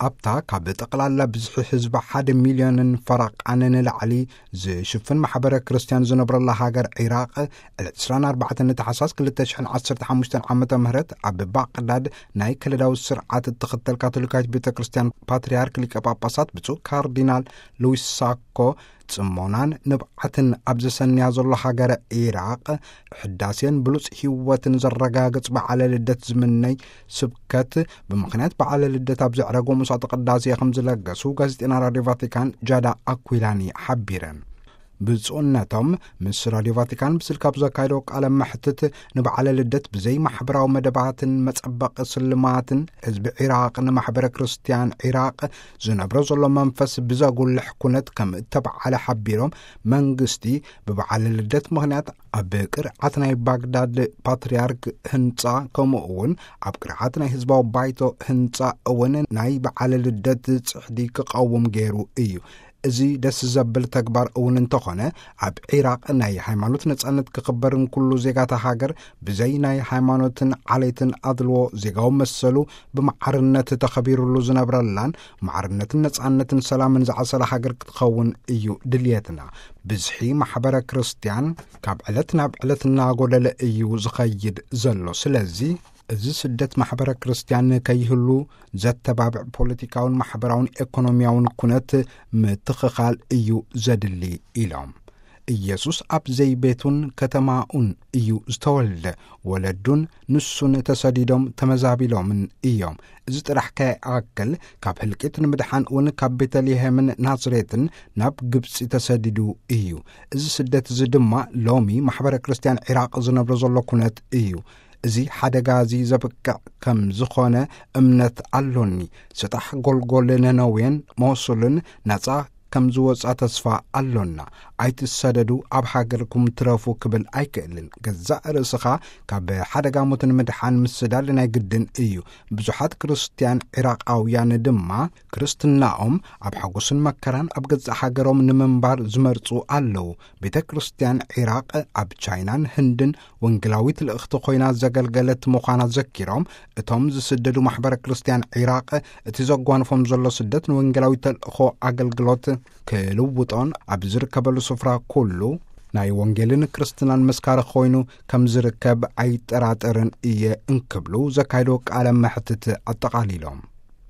ኣብታ ካብ ጠቕላላ ብዝሒ ህዝባ ሓደ ሚልዮንን ፈረቓን ንላዕሊ ዝሽፍን ማሕበረ ክርስትያን ዝነብረላ ሃገር ዒራቕ፣ ዕለት ዕስራን ኣርባዕተን ታሕሳስ ክልተ ሽሕን ዓሰርተ ሓሙሽተን ዓመተ ምህረት ኣብ ባቕዳድ ናይ ከለዳዊ ስርዓት እትኽተል ካቶሊካዊት ቤተ ክርስትያን ፓትርያርክ ሊቀ ጳጳሳት ብፁዕ ካርዲናል ሉዊስ ሳኮ ጽሞናን ንብዓትን ኣብ ዘሰንያ ዘሎ ሃገረ ዒራቕ፣ ሕዳሴን ብሉጽ ህይወትን ዘረጋግጽ በዓለ ልደት ዝምነይ ስብከት፣ ብምኽንያት በዓለ ልደት ኣብ ዘዕረጎ መስዋዕተ ቅዳሴ ከም ዝለገሱ ጋዜጠኛ ራድዮ ቫቲካን ጃዳ ኣኩላኒ ሓቢረን። ብፁዕነቶም ምስ ራድዮ ቫቲካን ብስልክ ኣብ ዘካየዶ ቃለ መሕትት፣ ንበዓለ ልደት ብዘይ ማሕበራዊ መደባትን መጸበቒ ስልማትን ህዝቢ ዒራቕ ንማሕበረ ክርስትያን ዒራቕ ዝነብሮ ዘሎ መንፈስ ብዘጉልሕ ኩነት ከም እተበዓለ ሓቢሮም፣ መንግስቲ ብበዓለ ልደት ምኽንያት ኣብ ቅርዓት ናይ ባግዳድ ፓትርያርክ ህንጻ፣ ከምኡ እውን ኣብ ቅርዓት ናይ ህዝባዊ ባይቶ ህንጻ እውን ናይ በዓለ ልደት ጽሕዲ ክቐውም ገይሩ እዩ። እዚ ደስ ዘብል ተግባር እውን እንተኾነ፣ ኣብ ዒራቕ ናይ ሃይማኖት ነጻነት ክኽበርን ኩሉ ዜጋታ ሃገር ብዘይ ናይ ሃይማኖትን ዓሌትን ኣድልዎ ዜጋዊ መሰሉ ብማዕርነት ተኸቢሩሉ ዝነብረላን፣ ማዕርነትን ነጻነትን ሰላምን ዝዓሰለ ሃገር ክትኸውን እዩ ድልየትና። ብዝሒ ማሕበረ ክርስትያን ካብ ዕለት ናብ ዕለት እናጎደለ እዩ ዝኸይድ ዘሎ። ስለዚ፣ እዚ ስደት ማሕበረ ክርስትያን ከይህሉ ዘተባብዕ ፖለቲካውን ማሕበራውን ኤኮኖሚያውን ኩነት ምትኽኻል እዩ ዘድሊ ኢሎም። ኢየሱስ ኣብ ዘይቤቱን ከተማኡን እዩ ዝተወልደ። ወለዱን ንሱን ተሰዲዶም ተመዛቢሎምን እዮም። እዚ ጥራሕ ከይኣክል፣ ካብ ህልቂት ንምድሓን እውን ካብ ቤተልሔምን ናዝሬትን ናብ ግብጺ ተሰዲዱ እዩ። እዚ ስደት እዚ ድማ ሎሚ ማሕበረ ክርስትያን ዒራቕ ዝነብሮ ዘሎ ኩነት እዩ። እዚ ሓደጋ እዚ ዘብቅዕ ከም ዝኾነ እምነት ኣሎኒ። ስጣሕ ጎልጎል ነነዌን ሞሱልን ናጻ ከም ዝወጻ ተስፋ ኣሎና። ኣይትሰደዱ፣ ኣብ ሃገርኩም ትረፉ ክብል ኣይክእልን። ገዛእ ርእስኻ ካብ ሓደጋ ሞት ንምድሓን ምስዳድ ናይ ግድን እዩ። ብዙሓት ክርስትያን ዒራቓውያን ድማ ክርስትናኦም ኣብ ሓጎስን መከራን ኣብ ገዛእ ሃገሮም ንምንባር ዝመርጹ ኣለዉ። ቤተ ክርስትያን ዒራቕ ኣብ ቻይናን ህንድን ወንጌላዊት ልእኽቲ ኮይና ዘገልገለት ምዃና ዘኪሮም፣ እቶም ዝስደዱ ማሕበረ ክርስትያን ዒራቕ እቲ ዘጓንፎም ዘሎ ስደት ንወንጌላዊ ተልእኾ ኣገልግሎት ክልውጦን ኣብ ዝርከበሉ ስፍራ ኩሉ ናይ ወንጌልን ክርስትናን መስካሪ ኮይኑ ከም ዝርከብ ኣይጠራጠርን እየ እንክብሉ ዘካየዶ ቃለ መሕትት ኣጠቓሊሎም።